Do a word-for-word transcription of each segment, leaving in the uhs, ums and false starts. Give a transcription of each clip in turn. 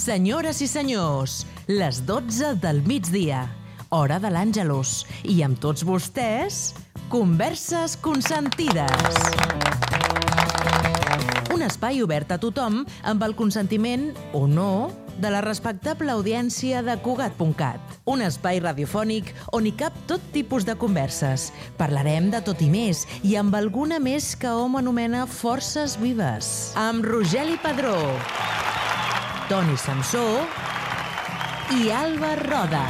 Senyores i senyors, les dotze del migdia, hora de l'Àngelus, i amb tots vostès, Converses Consentides. Un espai obert a tothom amb el consentiment, o no, de la respectable audiència de Cugat punt cat. Un espai radiofònic on hi cap tot tipus de converses. Parlarem de tot i més, i amb alguna més que hom anomena forces vives. Amb Rogeli Padró, Toni Samsó i Alba Roda.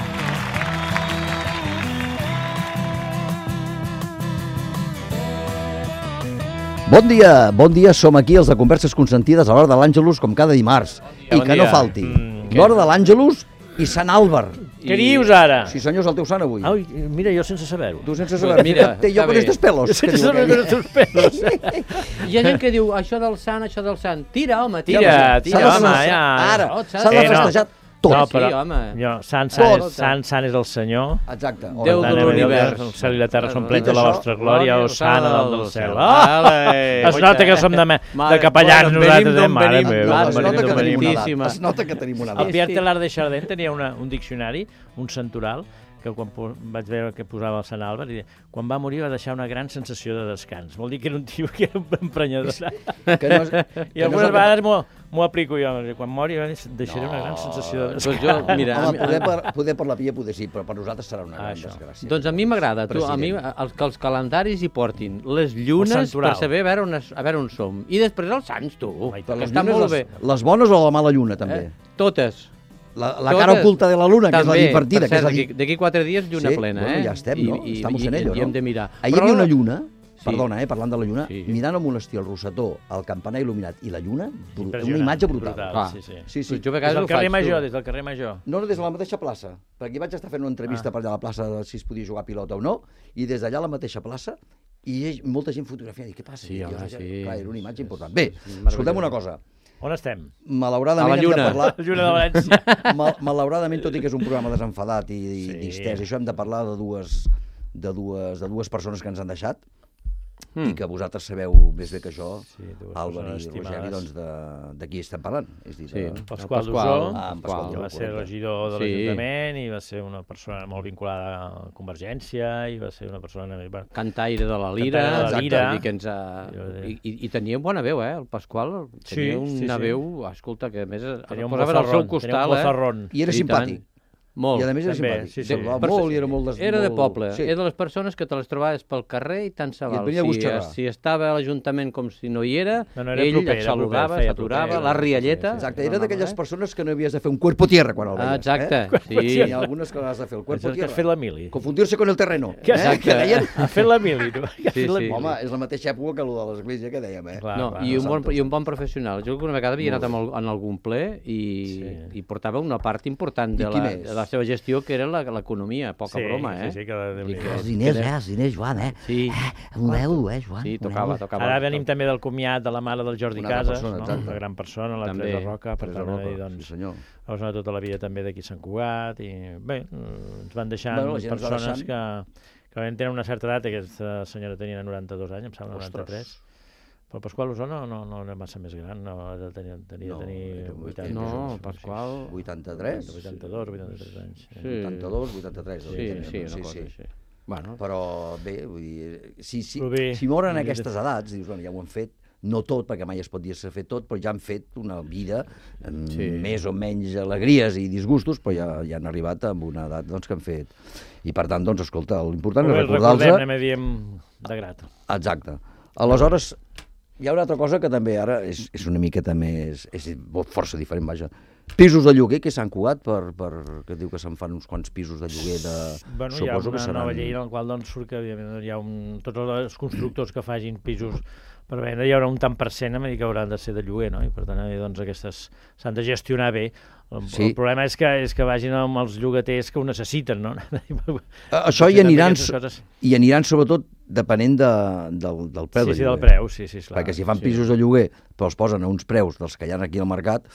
Bon dia, bon dia, som aquí els de Converses Consentides a l'hora de l'Àngelus, com cada dimarts. I bon que dia. no falti. Mm, L'hora de l'Àngelus i Sant Àlvar. Què dius ara? Sí, senyor, és el teu sant avui. Ai, mira, jo sense saber-ho. Tu sense saber. Mira, Té jo està con bé. estos pelos. Jo sense saber con estos pelos. Hi ha gent que diu, això del sant, això del sant. Tira, home, tira. Tira, tira, tira, S'ha de home, festejar. ja. Ara, Oh, s'ha de Eh, no. festejar tot. No, Sí, però home. jo, sant, sant, Tot. és, sant, sant és el Senyor. Exacte. Déu Per de tant, l'univers. El cel i la terra s'omplen de Dit la això, vostra glòria, o sana dalt del cel. Ah! Ale, Es nota que som de, me- de capellans bueno, nosaltres, venim eh? d'on Mare venim, meva, clar, Es venim nota d'on que tenim venim. una Boníssima. edat. Es nota que tenim una El edat. Pierre Sí. Teilhard de Chardin tenia una, un diccionari, un santoral, que quan po- vaig veure que posava el Sant Àlvar, i deia, quan va morir va deixar una gran sensació de descans. Vol dir que era un tio que era un emprenyador. Que no és, que I no és algunes el que- vegades m'ho m'ho aplico jo. Quan mori deixaré una gran sensació de Doncs descans. jo, mira, a Home, mi- poder per, poder per la pia poder sí, però per nosaltres serà una gran Això. desgràcia. doncs a mi m'agrada, tu, a mi, President. els, que els calendaris hi portin les llunes santoral. per saber a veure, on, es- a veure on som. I després els sants, tu, Ai, que Les està llunes, molt bé. les, les bones o la mala lluna, també? Eh? Totes. La, la Totes. cara oculta de la luna, que és la També, divertida. per Que és cert, la... d'aquí- d'aquí quatre dies lluna Sí, plena, bueno, eh? ja estem, no? Estamos en ello, i, no? hem de mirar. Ahir hi havia una lluna, Sí. perdona, eh, parlant de la lluna, Sí. mirant el monestir, el Rosetó, el campanar il·luminat i la lluna, bru- una Impressionant, imatge brutal. Clar. Sí, sí. Sí, sí. Jo a Des vegades del ho carrer faig, Major, tu. des del carrer Major. No, no, des de la mateixa plaça, perquè vaig estar fent una entrevista Ah. per allà a la plaça de si es podia jugar a pilota o no, i des d'allà a la mateixa plaça, i hi- molta gent fotografiant, i què passa? Sí, I home, jo, sí. Clar, era una imatge És- important. Bé, és meravellós. escoltem una cosa, On estem? malauradament A la hem de lluna. parlar... La lluna de València. Mal, malauradament, tot i que és un programa desenfadat i, i Sí. distès, això hem de parlar de dues, de dues, de dues persones que ens han deixat, Mm. i que vosaltres sabeu més bé que jo, Sí, dues Àlvar i persones Rogeri, estimades. doncs de, de qui estem parlant. És dir, Sí. de, El Pasqual Pasqual. Dusó, Ah, en Pasqual que Dusó, va ser correcte. regidor de Sí. l'Ajuntament i va ser una persona molt vinculada a Convergència i va ser una persona... Bueno, Cantaire de la Lira, Cantaire de la exacte, Lira. i, que ens ha... Jo de- I, i, i tenia bona veu, eh, el Pasqual. Tenia Sí, una sí, sí. veu, escolta, que a més es tenia un posava al seu bozarrón, tenia un costal, eh? bozarrón. I era I tant. simpàtic. Molt. I a més era També, simpàtic. sí, sí. Semblava Per- molt i era molt... Des, Era de molt- poble, Sí. era de les persones que te les trobaves pel carrer i tant se I et val. venia a Si, butxarrar. si estava a l'Ajuntament com si no hi era, No, no, era ell proper, et era saludava, proper, feia s'aturava, proper, la sí, sí, rialleta... Exacte, no, era no, d'aquelles eh? persones que no havies de fer un cuerpo tierra quan el veies. Ah, exacte, Eh? sí. Hi ha algunes que has de fer el cuerpo Això és que has tierra. fet la mili. Confundir-se con el terreno. Que, eh? que deien... Ha fet la mili, tu. Que has Sí, fet la sí. mili. Home, és la mateixa època que el de l'església que dèiem, eh? Clar, No, clar, i, un bon, santos. i un bon professional. Jo alguna vegada havia Molt anat amb el, en algun ple i, Sí. i portava una part important de I qui la, més? de la seva gestió, que era la- l'economia, poca sí, broma, eh? Sí, sí, que Déu I n'hi que- do. Els diners, eh? Els diners, Joan, eh? Sí, Un euro, eh, Joan? sí, Un tocava, euro. tocava. Ara venim també del comiat de la mare del Jordi Una altra Casas, persona, no? exacte. Una gran persona, la També. Teresa Roca, per Teresa tant, Roca, i, doncs, sí senyor. va sonar tota la vida també d'aquí a Sant Cugat, i bé, eh, ens van deixant Bueno, la gent ens va persones deixant. que, que van tenir una certa edat, aquesta senyora tenia noranta-dos anys, em sembla, Ostres. noranta-tres. Però el Pasqual Usó no, no, no era massa més gran, no, ha de tenir, tenia No, de tenir era- vuitanta. No, Pasqual... vuitanta-tres? vuitanta-dos, vuitanta-tres anys. Sí. Sí. vuitanta-dos, vuitanta-tres. Sí, devia sí, tenir, una no? cosa així. Bueno, Però bé, vull dir, si, si, Però bé, si moren una aquestes edats, dius, bueno, ja ho han fet, no tot, perquè mai es pot dir s'ha fet tot, però ja han fet una vida amb Sí. més o menys alegries i disgustos, però ja, ja han arribat amb una edat doncs, que han fet. I per tant, doncs, escolta, l'important és Bé, el recordem, recordar-los... anem a dir de grat. Exacte. Aleshores, hi ha una altra cosa que també ara és, és una miqueta més... és força diferent, vaja. Pisos de lloguer que s'han cugat per, per... que diu que se'n fan uns quants pisos de lloguer de... Bueno, hi ha Suposo una que seran... nova llei en la qual doncs, surt que evidentment, hi ha un, tots els constructors que facin pisos per vendre, hi haurà un tant per cent a dir que hauran de ser de lloguer, no? I per tant, eh, doncs, aquestes s'han de gestionar bé. El, Sí. el problema és que, és que vagin amb els llogaters que ho necessiten, no? Això hi aniran, Aquestes coses. hi aniran sobretot depenent de, del, del preu Sí, de sí, del lloguer. preu, sí, sí, esclar. Perquè si fan sí. pisos de lloguer però els posen a uns preus dels que hi ha aquí al mercat,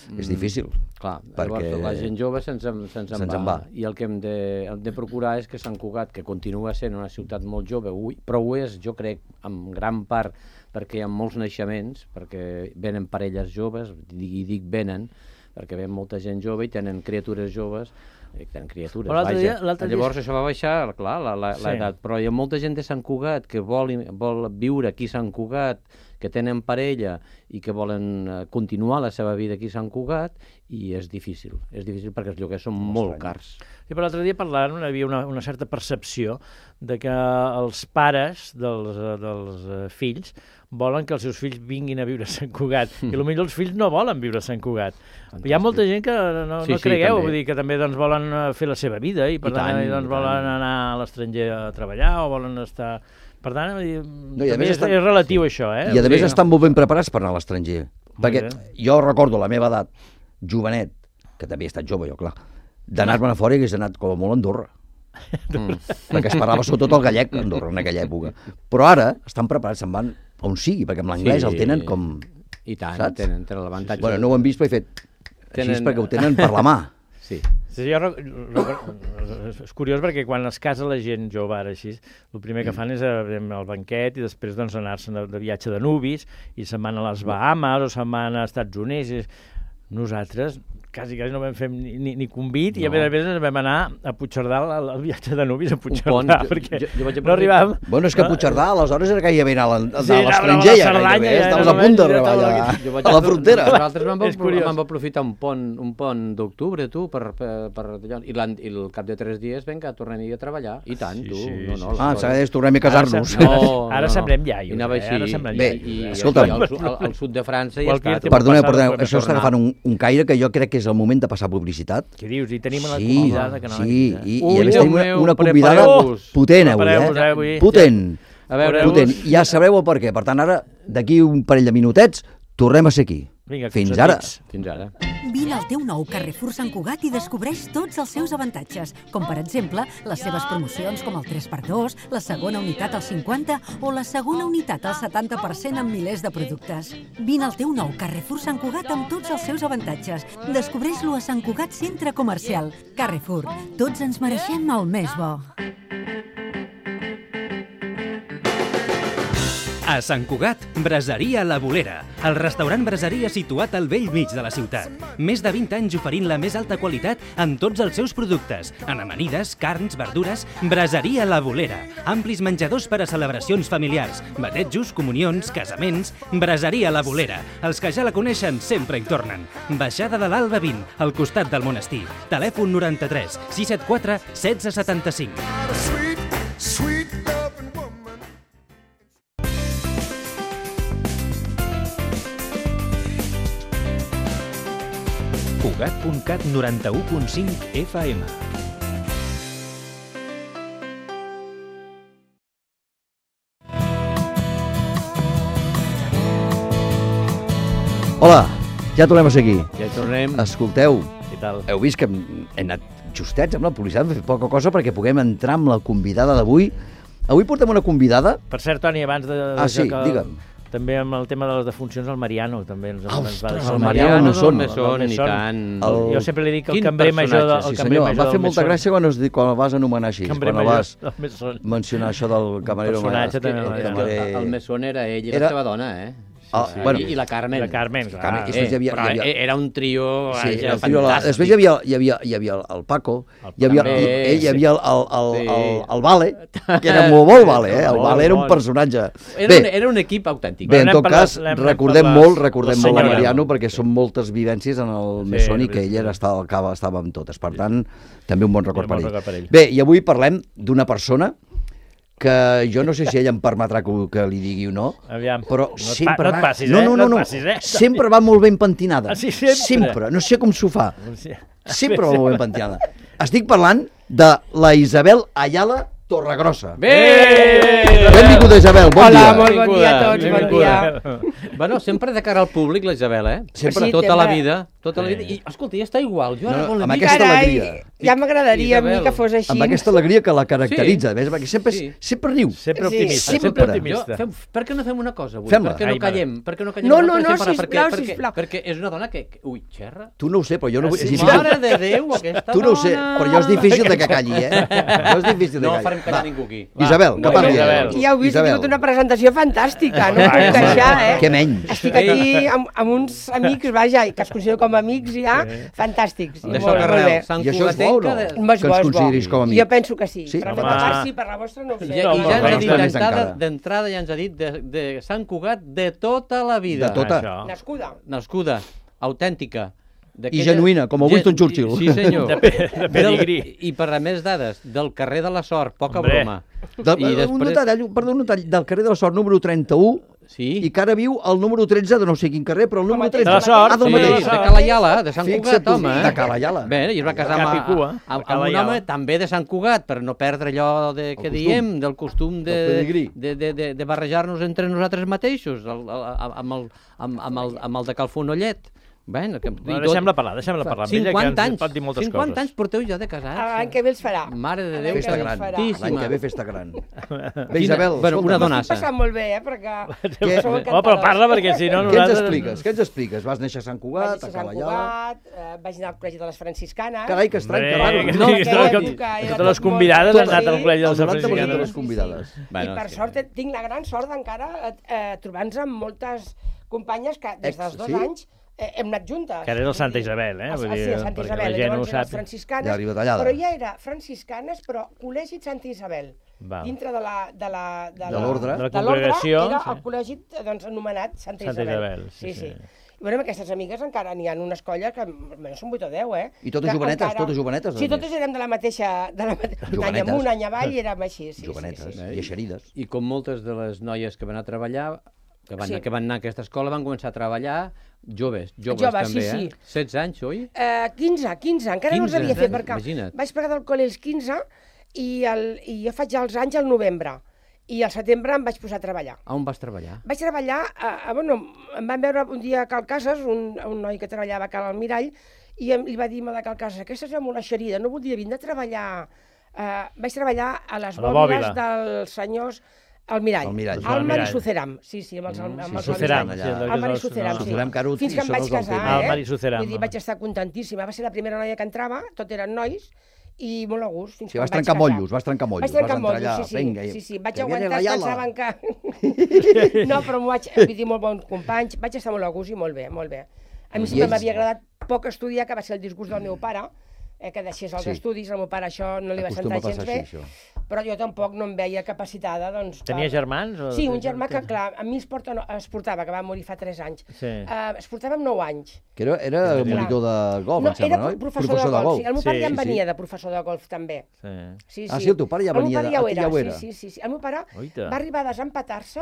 és Mm. difícil. Clar, perquè llavors la gent jove se'ns en, se en, se'ns en va. va. I el que hem de, hem de procurar és que Sant Cugat, que continua sent una ciutat molt jove, ui, però ho és, jo crec, en gran part perquè hi ha molts naixements, perquè venen parelles joves, i dic venen, perquè ve molta gent jove i tenen criatures joves, eh, tenen criatures, Però l'altre vaja. dia- l'altre dia- Llavors això va baixar, clar, la- la- Sí. l'edat, però hi ha molta gent de Sant Cugat que vol, vol viure aquí a Sant Cugat, que tenen parella i que volen eh, continuar la seva vida aquí a Sant Cugat, i és difícil, és difícil perquè els lloguers són molt cars. Sí, però l'altre dia parlant hi havia una, una certa percepció de que els pares dels, eh, dels eh, fills volen que els seus fills vinguin a viure a Sant Cugat, i potser els fills no volen viure a Sant Cugat. Hi ha molta gent que no, Sí, no sí, cregueu, també. vull dir que també doncs, volen eh, fer la seva vida i per I tant, tant, i, doncs, i volen tant. anar a l'estranger a treballar o volen estar... Per tant, vull dir, No, i a també més és, estan- és relatiu això, eh? I a Vull més dir, estan molt ben preparats per anar a l'estranger. Perquè bé. jo recordo la meva edat, jovenet, que també he estat jove jo, clar, d'anar-me'n a fora i hagués anat com a molt a Andorra. Mm. Perquè es parlava sobretot el gallec a Andorra en aquella època. Però ara estan preparats, se'n van on sigui, perquè amb l'anglès Sí. el tenen com... I tant, Saps? tenen, tenen l'avantatge. Bueno, no ho hem vist, però he fet així Tenen- perquè ho tenen per la mà. Sí. Sí, jo, rec- rec- és curiós perquè quan es casa la gent jove ara així, el primer que fan és eh, al banquet i després doncs, anar-se'n de, de viatge de nubis i se'n van a les Bahamas o se'n van als Estats Units. I nosaltres quasi, quasi no vam fer ni, ni, ni convit no. I a més a més ens vam anar a Puigcerdà al, al viatge de nubis a Puigcerdà pont, jo- perquè jo- jo vaig no arribàvem. Bueno, és que Puigcerdà aleshores era gairebé anar a l'en- Sí, a l'estranger, anàvem a la ja Cerdanya, gairebé, ja estaves era a punt de només- arribar jo allà, Jo vaig a la frontera. Nosaltres vam, És curiós. vam aprofitar un pont, un pont d'octubre, tu, per, per, per allò, i, l'an- i el cap de tres dies, vinga, tornem-hi a treballar. I tant, Sí, tu. sí, no, sí, no, sí. Ah, les s'ha coses- de tornem a casar-nos. Ara, No, ara no, no. semblem iaios, I anava eh? així. Ara semblem Bé, iaios. I, eh? escolta'm. I al, su- al, al sud de França ja Qualque està. tema Perdoneu, passat, perdoneu, podem això està tornar. agafant un, un caire que jo crec que és el moment de passar publicitat. Què dius? I tenim una Sí, convidada que no sí, l'ha i, i Ui, a més Déu tenim una, meu, una convidada prepareu-vos. potent avui, Prepareu-vos, eh, eh? avui. Potent, A veure, potent. Ja sabreu el per què. Per tant, ara, d'aquí un parell de minutets, tornem a ser aquí. Vinga, Fins consentits. ara. fins ara. Vine al teu nou Carrefour Sant Cugat i descobreix tots els seus avantatges, com per exemple les seves promocions com el tres per dos, la segona unitat al cinquanta o la segona unitat al setanta per cent en milers de productes. Vine al teu nou Carrefour Sant Cugat amb tots els seus avantatges. Descobreix-lo a Sant Cugat Centre Comercial. Carrefour, tots ens mereixem el més bo. A Sant Cugat, Braseria La Bolera, el restaurant braseria situat al vell mig de la ciutat. Més de vint anys oferint la més alta qualitat en tots els seus productes, en amanides, carns, verdures. Braseria La Bolera, amplis menjadors per a celebracions familiars, batejos, comunions, casaments. Braseria La Bolera, els que ja la coneixen sempre hi tornen. Baixada de l'Alba vint, al costat del monestir. Telèfon noranta-tres sis set quatre setze setanta-cinc. Cugat punt cat noranta-u punt cinc F M. Hola, ja tornem a ser aquí. Ja hi tornem. Escolteu, Què tal? heu vist que hem, hem anat justets amb la publicitat, hem fet poca cosa perquè puguem entrar amb la convidada d'avui. Avui portem una convidada... Per cert, Toni, abans de... de Ah, sí, que, digue'm. També amb el tema de les defuncions, el Mariano també ens, ens va Ostres, deixar. el Mariano Mesón. Mesón, i tant. El- Jo sempre li dic que el Quin cambrer major, de, personatge. el Sí, cambrer senyor, em major va fer del molta Mesón. gràcia quan, es, di- quan el vas anomenar així, Cambrer quan el major vas del Mesón. mencionar això del camarero. personatge també, el el camarer- El, el Mesón era ell i Era- la seva dona, eh? Ah, Sí, bueno. I, I la Carmen. La Carmen, clar. Carmen, i Eh, després hi havia- però hi havia- era un trio... Sí, vaja, el tio, la, fantàstic. després hi havia, hi havia, hi havia el Paco, hi havia, També, hi, ell, hi havia el, el, el, sí. el, el Vale, que era molt bo el Vale, eh? El Molt, Vale era un molt. personatge. Era, Bé, un, era un equip autèntic. bé, en L'hem tot parlat- cas, l'hem recordem parlat molt, la recordem molt a senyora. Mariano, perquè són moltes vivències en el Sí, Mesón i és que ell era, estava, estava, estava amb totes. Per tant, també un bon record un bon per ell. record per ell. Bé, i avui parlem d'una persona que jo no sé si ella em permetrà que, que li digui o no, Aviam, però no et pa- sempre no et va... passis, no, eh? no, No no, et no, passis, eh? sempre va molt ben pentinada. Ah, sí, sempre? Sempre, no sé com s'ho fa. Sí. Sempre va molt ben pentinada. Estic parlant de la Isabel Ayala Torregrossa. Bé! Benvinguda, Isabel, bon Hola, dia. molt bon dia a tots, bon Benvinguda. dia. Bueno, sempre de cara al públic, la Isabel, eh? Sempre. Sí, Tota la sempre. vida. Tota la vida. I, escolta, ja està igual. Jo ara No, no, vol amb dir... aquesta Carai, alegria. Ja m'agradaria a mi Isabel, que fos així. Amb aquesta alegria que la caracteritza, sí. perquè sempre, Sí. sempre riu. Sempre Sí, optimista, sempre. sempre Jo, optimista. fem, per què no fem una cosa avui? Fem-la. Per què no Ai, callem? Per què no callem? No, no, nosaltres no, estem parlant? sisplau, perquè, sisplau. Perquè, perquè és una dona que... que ui, xerra. Tu no ho sé, però jo no vull... Ah, sí? és difícil. Mare de Déu, aquesta Tu no ho sé, dona! però jo és difícil de que calli, eh? Jo és difícil de No calli. farem callar Va. ningú aquí. Isabel, que Va, parli. Isabel. Ja heu vist, he Isabel. tingut una presentació fantàstica, no Ah, puc sí. queixar, eh? Què menys? Estic aquí amb, amb uns amics, vaja, i que els considero com a amics ja, fantàstics. I D'això molt, que molt bé. arrel, Sant I això és bo o no? Cugatenca... Bo, és Que bo, ens és bo. consideris com a amics. Jo penso que sí, Sí? però per Home. la part sí, per la vostra no ho sé. Ja, No, I però ja ens ha almenys dit més d'entrada, encara. d'entrada ja ens ha dit de, de Sant Cugat de tota la vida. De tota. Això. Nascuda. Nascuda, autèntica. I genuïna, com a Winston Churchill. Sí, senyor. De, pe de pedigrí. Del, I per a més dades, del carrer de la Sort, poca Hombre. broma. Del, I un després- detall, perdó, un detall, del carrer de la Sort número trenta-u, Sí. i que ara viu al número tretze de no sé quin carrer, però el número mateix, tretze... de la Sort, Ah, del Sí, mateix. de Cala Iala, de Sant Fixa't Cugat, tu, home. de Cala Iala. Bé, i es va casar amb, Cap i cua, amb, de amb Cala un Iala. home també de Sant Cugat, per no perdre allò de, que costum. diem, del costum de, Del pedigrí. de, de, de, de barrejar-nos entre nosaltres mateixos, el, el, amb, el, amb, amb, el, amb el de Calfonollet. Bé, que, Bueno, deixem-la parlar, deixem-la parlar amb ella, que cinquanta ens anys, pot dir moltes cinquanta coses. anys porteu ja de casats. L'any que ve els farà. Mare de L'any Déu, que Festa ve gran. els farà. L'any que ve festa gran. Bé, Quina- Isabel, bueno, una escolta'm, dona. M'estic passant molt bé, eh, perquè Què? sou Oh, però encantadors. parla, perquè si no Què ens nosaltres... expliques? Què ens expliques? Vas néixer a Sant Vaig Cugat, néixer a a Sant Cala Iala... Cugat, eh, vaig anar al col·legi de les franciscanes. Carai, que estrany, que Hombre, raro. que No, sí, que que- aquella que- època era totes tot les molt- convidades tot han anat al sí. col·legi de El les noranta per cent de franciscanes. les convidades. Bueno, I per és que- sort eh, tinc la gran sort d'encara eh, eh, trobar-nos amb moltes companyes que des dels Ex, dos sí? anys eh, hem anat juntes. Que ara és el Santa Isabel, eh? Ah, Vull sí, dir, el Santa perquè la Isabel. gent ho Llavors eren les sàpiga. franciscanes, Ja arriba tallada. però ja era franciscanes, però col·legi Santa Isabel. Val. Dintre de la... De la- de De la- l'ordre. De la de l'ordre congregació, era sí. el col·legi doncs, anomenat Santa, Santa Isabel. Isabel, sí, sí. I bueno, amb aquestes amigues encara n'hi ha unes colles que almenys són vuit o deu, eh? I totes Que jovenetes, totes jovenetes, a Sí, més. totes érem de la mateixa... De la mate... Un any Jovenetes. amunt, any avall, i érem així. Sí, Jovenetes, sí, sí, sí. i eixerides. I com moltes de les noies que van a treballar, que van, Sí. que van anar a aquesta escola, van començar a treballar joves, joves, Joves, també, sí, sí. eh? setze anys, oi? Uh, quinze, quinze, encara no els quinze, havia fet, eh? perquè Imagina't. vaig plegar del col·le els quinze i, el, i jo faig ja els anys al novembre. I al setembre em vaig posar a treballar. A on vas treballar? Vaig treballar, a, a, bueno, em van veure un dia a Cal Cases, un, un noi que treballava a Cal Almirall, i em, li va dir, de Cal Cases, aquesta és molt eixerida, no voldria vindre a treballar... Uh, vaig treballar a les A la bòbiles bòbila. dels senyors Almirall. Almirall. Almar i Almirall. Suceram, sí, sí, amb els, amb sí, els Suceram, allà. sí, allò que Almar i és el- Suceram, no. sí. Suceram Carut, Fins i que em són vaig els del casar, tema. eh? Almar i Suceram. Vull dir, vaig estar contentíssima. Va ser la primera noia que entrava, tot eren nois, i molt a gust. Fins Sí, que vas em vaig trencar casar. mollos, vas trencar mollos. Vaig trencar vas entrar mollos, allà, sí, sí. vinga, i- sí, sí. Vaig que viene aguantar, la es Yala. pensaven que... No, però m'ho vaig... Vull dir, molt bons companys. Vaig estar molt a gust i molt bé, molt bé. A mi I sempre ells? m'havia agradat poc estudiar, que va ser el disgust del meu pare, eh, que deixés els Sí. estudis. Al meu pare això no li va Acostuma sentar a gens passar bé, així, això. però jo tampoc no em veia capacitada, doncs... Tenia per- germans? O... Sí, un germà que, clar, a mi es, porta, no, es portava, que va morir fa tres anys. Sí. Uh, es portava amb nou anys. Que era, era Clar. monitor de golf, No, em sembla, era no? professor, de golf. Sí. El meu pare Sí, ja en sí, venia sí. de professor de golf, també. Sí. Sí, Ah, sí, el teu pare ja venia El de- meu pare ja ho ah, era, ja ho era. Sí, sí, sí. El meu pare Oita. va arribar a desempatar-se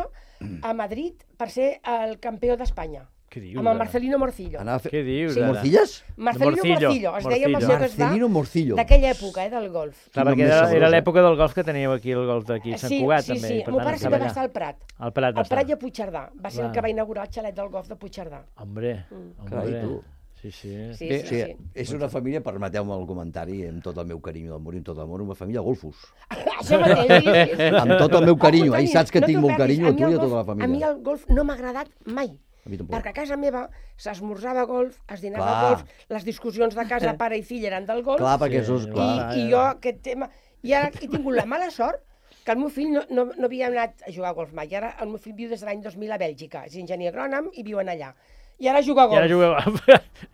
a Madrid per ser el campió d'Espanya. Què dius, Amb el ara? Marcelino Morcillo. Anava a fer... Què dius, Sí. ara? Morcilles? Marcelino Morcillo, Morcillo, es deia amb el Morcillo. seu que es va, Marcelino Morcillo. d'aquella època, eh, del golf. Clar, Quin nom perquè més era, sabrós, era eh? l'època del golf que teníeu aquí, el golf d'aquí, a Sant sí, Cugat, sí, també. sí. i per El meu tant, pare sempre va allà. estar al Prat. Al Prat va Al Prat i estar. a Puigcerdà. Va ser Clar. el que va inaugurar el xalet del golf de Puigcerdà. Hombre, Carai, hombre. tu. Sí, sí. Sí, Bé, sí, sí, sí. és una família, permeteu-me el comentari, amb tot el meu carinyo del món i amb tot l'amor, una família golfos. Això mateix, sí, sí, sí. Amb tot el meu carinyo, eh? I saps que No tinc t'ho molt perdis. carinyo a tu mi i a el tota la golf- A mi família. el golf no m'ha agradat mai. A mi tampoc. Perquè a casa meva s'esmorzava golf, es dinava Clar. golf, les discussions de casa, pare i fill, eren del golf, Clar, perquè Sí, això és i, clar. i jo aquest tema... I ara he tingut la mala sort que el meu fill no, no, no havia anat a jugar a golf mai. I ara el meu fill viu des de l'any dos mil a Bèlgica, és enginyer agrònom i viuen allà. I ara juga a I golf. ara jugueu...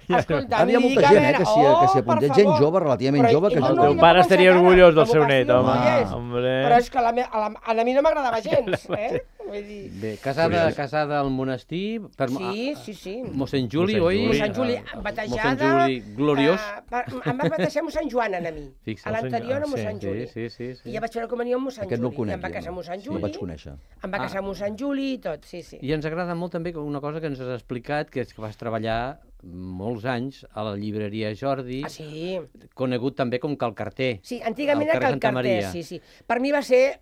Escolta, Ara hi ha mi molta dic, a gent, eh, veure, que s'hi- que s'hi oh, per apunta. Gent favor. jove, relativament Però jove, que ell juga. no El li teu pare va estaria començar orgullós encara. del seu La net, vocació home. no hi és. Hombre. Però és que a, la, me, a, la, a mi no m'agradava gens, eh? Vull dir... Bé, casada, casada al monestir, per Sí, sí, sí. mossèn Juli, Mossèn oi? Juli. Mossèn Juli, Ah, batejada... mossèn Juli, gloriós. eh, per, em va batejar mossèn Joan, a mi. Fixa't. A l'anterior a Sí, mossèn Sí, Juli. sí, sí. sí. I ja vaig veure comunió amb mossèn Aquest no el Juli. I conec, em va jo, casar no. mossèn No Juli. el vaig conèixer. Em va casar mossèn Juli i tot, sí, sí. I ens agrada molt també una cosa que ens has explicat, que és que vas treballar molts anys a la llibreria Jordi, Ah, sí. conegut també com Cal Carter. Sí, antigament Al era carrer Cal Santa Carter, Maria. sí, sí. Per mi va ser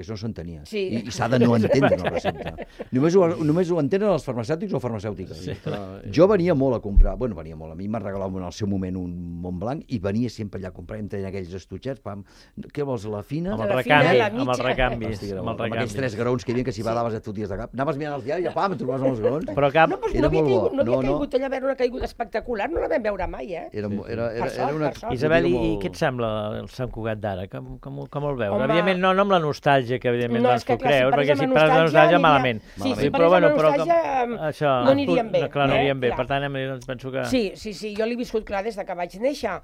perquè això no s'entenia. Sí. I, i s'ha de no entendre una recepta. Només ho, només ho entenen els farmacèutics o farmacèutiques. Sí, però... Jo venia molt a comprar, bueno, venia molt, a mi m'ha regalat en el seu moment un Montblanc i venia sempre allà a comprar, em tenien aquells estutxets, pam, què vols, la fina? Amb el La recanvi, fina, la amb el mitja. recanvi. Festigreu, amb el amb aquells recanvi. tres graons que hi havia que si badaves et foties de cap. Anaves mirant els diaris i pam, et trobaves amb els graons. Però cap... No, però Era no havia, molt bo. caigut, no havia No, no. caigut allà a veure una caiguda espectacular, no la vam veure mai, eh? Era, era, era, Per era, sort, una... per sort. Isabel, i, molt- i què et sembla el Sant Cugat d'ara? Com, com, com el veus? Home, Evidentment, no, no amb la nostàlgia que evidentment no, doncs, és que, tu clar, si creus, perquè parlés si amb parles de nostàlgia, aniria- malament. Sí, si Però, parlés bueno, amb però nostàlgia, com- eh, això, no aniríem bé, Clar, no eh? aniríem bé. Clar. Per tant, doncs penso que... Sí, sí, sí, jo l'he viscut clar des de que vaig néixer.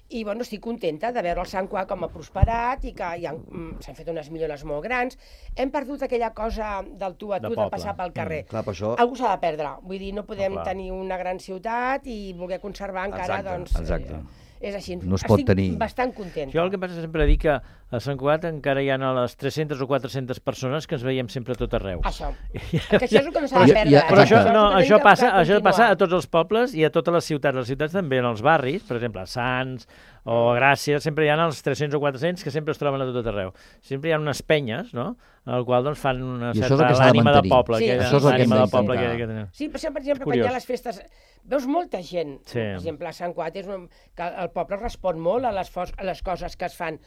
I bueno, estic contenta de veure el Sant Cugat com ha prosperat i que ja, mm, s'han fet unes millores molt grans. Hem perdut aquella cosa del tu a tu, De de, poble. passar pel carrer. Clar, per això... Algú s'ha de perdre. Vull dir, no podem clar. tenir una gran ciutat i voler conservar encara, Exacte, doncs... exacte. Eh, és així. No es pot Estic tenir. bastant contenta. Jo el que passa és sempre dir que a Sant Cugat encara hi ha les tres-centes o quatre-centes persones que ens veiem sempre a tot arreu. Això. Que això és el que no s'ha Però- de perdre. i- i- eh? Però això, Exacte. no, és el que això, tenim que- passa, que això passa a continuar. tots els pobles i a totes les ciutats. Les ciutats també, en els barris, per exemple, a Sants o a Gràcia, sempre hi ha els tres-cents o quatre-cents que sempre es troben a tot arreu. Sempre hi ha unes penyes, no?, en el qual doncs, fan una I això és el certa que s'ha de ànima de mantenir. poble. Sí, aquella això és el que hem ànima de d'intentar. poble que, que tenim. Sí, per això, per exemple, quan Curiós. hi ha les festes, veus molta gent, Sí. per exemple, a Sant Cugat, és un, que el poble respon molt a les, fos, a les coses que es fan,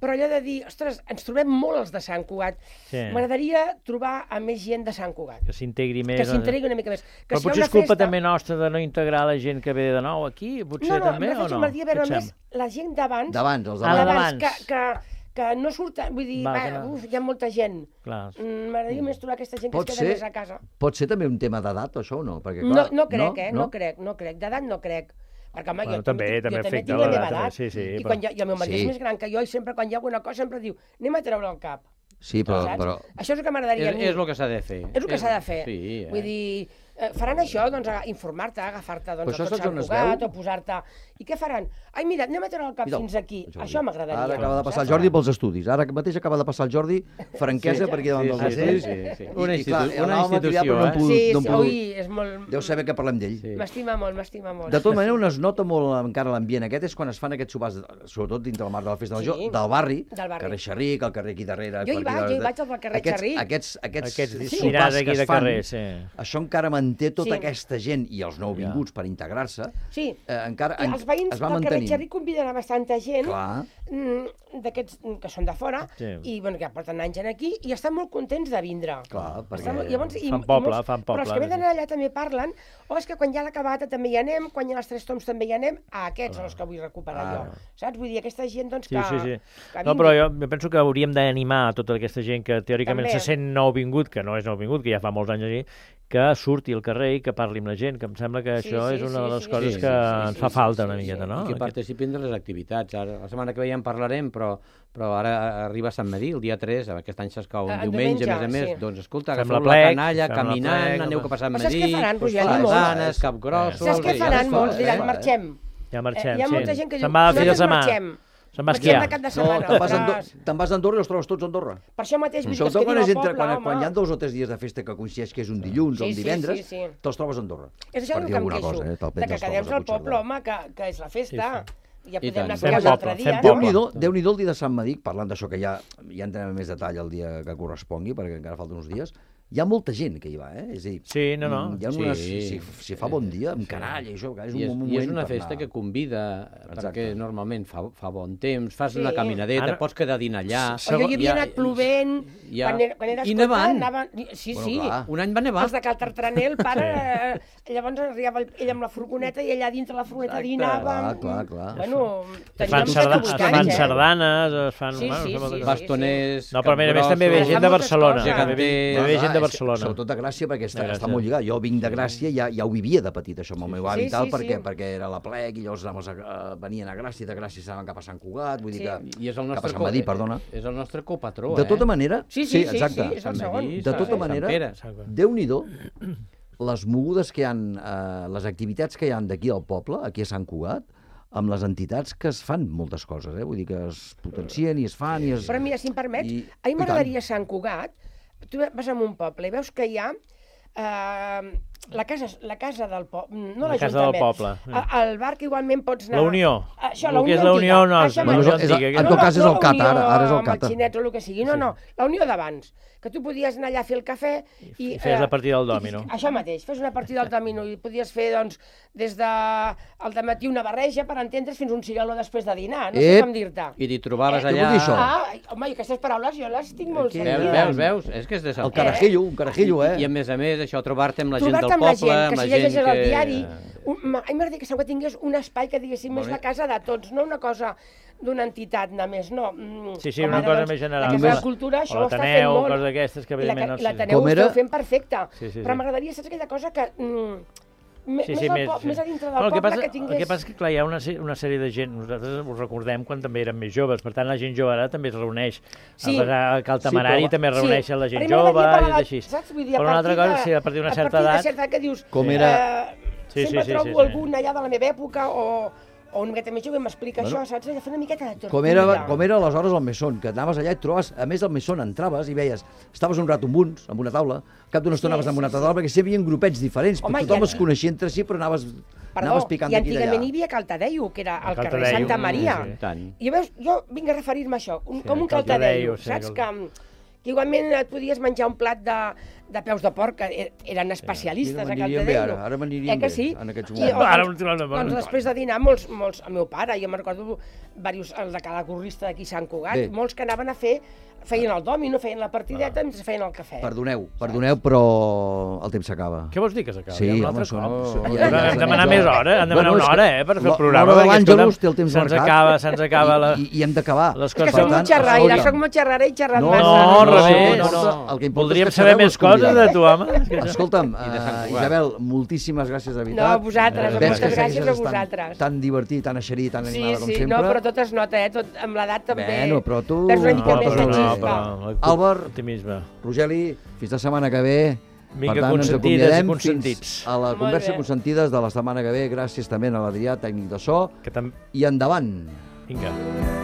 però allò de dir, ostres, ens trobem molt els de Sant Cugat, Sí. m'agradaria trobar a més gent de Sant Cugat, Que s'integri més. que s'integri una mica més. Que Però si hi ha potser una és culpa festa- també nostra de no integrar la gent que ve de nou aquí, potser No, no, també, no, o no? m'agradaria veure Què et més sembla? la gent d'abans, D'abans, els Ah, d'abans. d'abans. que, que, que no surten, vull dir, Va, va, que no. uf, hi ha molta gent. Clar. Mm, M'agradaria més trobar aquesta gent que Pot es queda ser- més a casa. Pot ser també un tema d'edat, això, o no? Perquè, No, clar, no crec, eh? No, crec, no crec. D'edat no crec. Perquè, home, Bueno, jo també- tinc- també jo també afecta tinc la l'edat, meva també, edat. sí, sí, I però- quan ja, i el meu marit Sí. és més gran que jo i sempre, quan hi ha alguna cosa, sempre diu, anem a treure el cap. Sí, però... Saps? però... Això és el que m'agradaria a És, mi. és el que s'ha de fer. És el que s'ha de fer. Sí, eh? Vull dir, eh, faran això, doncs, a informar-te, agafar-te Però doncs, això a tot saps on Sant es Cugat, veu? o posar-te... I què faran? Ai, mira, anem a treure el cap Mira, fins aquí. Jordi. Això m'agradaria. Ara acaba de passar el saps? Jordi pels estudis. Ara mateix acaba de passar el Jordi franquesa Sí, per aquí davant sí, dels sí, estudis. sí, sí. I- Una i, clar, institu- una anàvem a cridar, però no hem institució, pogut- Sí, no hem sí, pogut- ui, és molt... Deu saber que parlem d'ell. Sí. M'estima molt, m'estima molt. De tota manera, on es nota molt encara l'ambient aquest és quan es fan aquests sopars, sobretot dintre el marc de la Festa Major, Sí. del barri, Del barri. carrer Xerric, el carrer aquí darrere... Jo hi per aquí vaig, jo hi darrere. vaig al carrer aquests, Xerric. Aquests, aquests, Aquests sopars dinars que aquí es de fan, carrer, sí. això encara manté tota Sí. aquesta gent i els nouvinguts per integrar-se, Sí, eh, encara I en, els veïns es va del carrer mantenint. Xerric conviden a bastanta gent Clar. mm, d'aquests mm, que són de fora Sí. i bueno, que porten anys en aquí i estan molt contents de vindre. Clar, perquè- Estan molt- llavors, i, Fan i poble, molts- fan poble, Però els que venen sí. allà també parlen, o és que quan hi ha la cabata també hi anem, quan hi ha les tres toms també hi anem, a aquests són els que vull recuperar Ah. jo. Saps? Vull dir, aquesta gent doncs, Sí, que, sí, sí. que No, vingui. però jo, jo penso que hauríem d'animar a tota aquesta gent que teòricament També. se sent nouvingut, que no és nouvingut, que ja fa molts anys allí, que surti al carrer i que parli amb la gent, que em sembla que Sí, això sí, és una de sí, les sí, coses sí, que sí, sí, ens sí, fa sí, falta sí, una sí, miqueta, sí. no? I que participin de les activitats. Ara, la setmana que ve ja en parlarem, però, però ara arriba Sant Madí, el dia tres, aquest any s'escau un Ah, en diumenge, diumenge, a més a més. sí. Doncs escolta, Fem agafeu la la plec, canalla, fem la caminant, plec, aneu home. cap a Sant Però saps Madí, què faran, doncs, Roger? Molts. fasanes, capgrossos... Saps què i ja faran es molts? fa, Diran, eh? marxem. Ja marxem, Eh, hi ha sí. molta gent que diu, Se'n va a fi de nosaltres setmana. marxem. Se'n va a Marxem esquiar. de cap de No, setmana. te'n vas, a Andorra, ostres. te'n vas a Andorra i els trobes tots a Andorra. Per això mateix, vull dir, que es Sobretot quan, quedin és al entre, poble, quan, home. quan hi ha dos o tres dies de festa que coincideix que és un dilluns o Sí, un sí, divendres, sí, sí. te'ls trobes a Andorra. És això Per el dir que em alguna queixo, cosa, eh? Te'l de que te'ls quedem trobes a al poble, Puigcerdà. home, que, que és la festa. Ja I podem tant. anar a Fem esquiar un poble, altre fem dia, poble. no? Déu-n'hi-do Déu el dia de Sant Madí, parlant d'això que ja, ja entrem en més detall el dia que correspongui, perquè encara falten uns dies, hi ha molta gent que hi va, eh? És a dir, Sí, no, no. mm, hi ha Sí. unes, si, si fa bon dia, amb canalla i això, que és un I és, moment I és una per festa anar. que convida, Exacte. perquè normalment fa, fa bon temps, fas Sí. una caminadeta, Ara- pots quedar a dinar allà... O jo hi havia anat plovent, ja- quan era, quan era I escolta, nevant. anava... Sí, Bueno, sí. clar. Un any va nevar. Els de Cal Tartraner, el pare, eh, llavors arribava el- ell amb la furgoneta i allà dintre la furgoneta Exacte. dinàvem. Clar, clar, clar. Bueno, Es fan, teníem sarda, set o es vuit fan anys, eh? sardanes, es fan... Sí, bueno, sí, sembla sí, que- sí. Bastoners, No, però a més a més també ve Capgrossos. gent de Moltes Barcelona. coses. També ve, Clar, ve gent de és que, Barcelona. Sobretot de Gràcia, perquè està, De està Gràcia. molt lligat. Jo vinc de Gràcia i ja, ja ho vivia de petit, això, amb el meu avi Sí, i tal, sí, perquè, sí. perquè era la plec i llavors anaves a, venien a Gràcia, de Gràcia s'anaven cap a Sant Cugat, vull dir Sí. que... I és el cap a nostre, Sant Madí, perdona. és el nostre copatró, De eh? tota manera... Sí, sí, sí, exacte. sí, és el Sant segon. Madí, De tota Sant manera, Pere. Déu-n'hi-do les mogudes que hi ha, eh, les activitats que hi han d'aquí al poble, aquí a Sant Cugat, amb les entitats que es fan moltes coses, eh? Vull dir que es potencien i es fan i es... Però mira, si em permets, I- a mi i m'agradaria Sant Cugat, tu vas a un poble i veus que hi ha eh, la casa, la casa del poble, no La casa del poble. Al bar que igualment pots anar... La Unió. Això, El la que és Unió la Unió no és Això la Bueno, Unió és- és- antiga. en tot cas és el Cata, ara, ara és el Amb Cata. els xinets o el que sigui, no, no, la Unió d'abans, que tu podies anar allà a fer el cafè i... I fes la eh, partida del i- dòmino. Això mateix, fes una partida del dòmino i podies fer, doncs, des de al dematí una barreja, per entendre's, fins un cigaló després de dinar, no sé Ep. com dir-te. I t'hi trobaves Eh, què allà... vol dir això? Ah, home, i aquestes paraules jo les tinc molt Aquí- Veus, sentides. veus, veus? És que és de Sant El carajillo, un carajillo, eh? I a més a més, això, trobar-te amb la gent Trobar-te del amb la poble, gent, que amb la si gent llegeixes que... el diari, un, ma- a mi m'agradaria que sempre tingués un espai que diguéssim és la casa de tots, no una cosa d'una entitat només, no. Mm, Sí, sí, com una ara, cosa doncs, més general. La Casa de Només- la Cultura, o això ho està fent l'Ateneu, molt. coses d'aquestes que, I la- evidentment, no i sé. l'Ateneu ho Com era? esteu fent perfecte. Sí, sí, sí. Però m'agradaria, saps aquella cosa que... Mm, me- Sí, més, sí, al més, po- sí. més a dintre del Bueno, el que poble passa, que tingués... El que passa és que, clar, hi ha una, se- una sèrie de gent, nosaltres ho recordem quan també érem més joves, per tant, la gent jove ara també es reuneix. Sí. A Cal Tamarari Sí, però- també es reuneix Sí, la gent a mi jove m'agradaria i parlar de- així. Saps? Vull dir, a Però una altra partir cosa, de- sí, a partir d'una a certa partir edat... de certa edat que dius... Com era- Eh, Sí, sempre sí, sí, trobo sí, sí. algun allà de la meva època o, o una miqueta més jove m'explica Bueno. això, saps? Allò, fer una miqueta de tortura. Com era, com era aleshores el Mesón, que anaves allà i et trobaves, a més del Mesón entraves i veies, estaves un rato amb uns, amb una taula, al cap d'una estona Sí, anaves amb una sí, altra taula, perquè sempre hi havia grupets diferents, Home, però tothom i- es coneixia entre si, però anaves, Perdó, anaves picant i d'aquí i antigament hi d'allà. havia Cal Tadeu, que era al Cal carrer Tadeu, Santa Maria. sí, sí. Tant. I veus, jo vinc a referir-me a això, un, Sí, com un Cal Cal Tadeu, Tadeu, sí, saps? Cal- Que, que igualment et podies menjar un plat de, de peus de porc, que er- eren especialistes Mira, a Cal m'anirien Tadeu. bé ara, ara m'anirien eh que bé, sí? en aquests I, moments. o, Ara doncs, m'ho trobo- doncs després de dinar, molts, molts, el meu pare, jo me'n recordo diversos, el de cada corrista d'aquí Sant Cugat, Bé. molts que anaven a fer, feien el dòmino, feien la partideta, Ah. mentre feien el cafè. Perdoneu, perdoneu, però el temps s'acaba. Què vols dir que s'acaba? Sí, Ja un home, altre són... cop? són- Hem ja- ja- de demanar ja- més hora, hem de demanar Bueno, una és que hora, eh, per fer el l'hora programa. de perquè, l'Àngelus escolta'm, té el temps se'ns marcat. acaba, se'ns acaba la... I, i hem d'acabar. Les És que coses- soc Per molt tant, xerraire, escolta'm, soc molt xerrera i xerrat No, massa. no, al revés, no, no. no. El que importa Voldríem és que saber sabeu més coses escollir. de tu, home. És que això- Escolta'm, I de Sant uh, Cugat. Isabel, moltíssimes gràcies de No, veritat. a vosaltres, Eh, Ves moltes que gràcies segueixes a estant vosaltres. Tan divertit, tan eixerit, tan Sí, animada com sí, sempre. no, però tot es nota, eh? Tot, amb l'edat també. Bueno, però tu- Perds una mica No, més però de no, xispa. però- Àlvar, Optimisme. Rogeli, fins la setmana que ve. Vinga, per tant, ens consentides i acomiadem consentits. fins a la Molt conversa bé. consentides de la setmana que ve. Gràcies també a l'Adrià, tècnic de so. Que tam... I endavant. Vinga.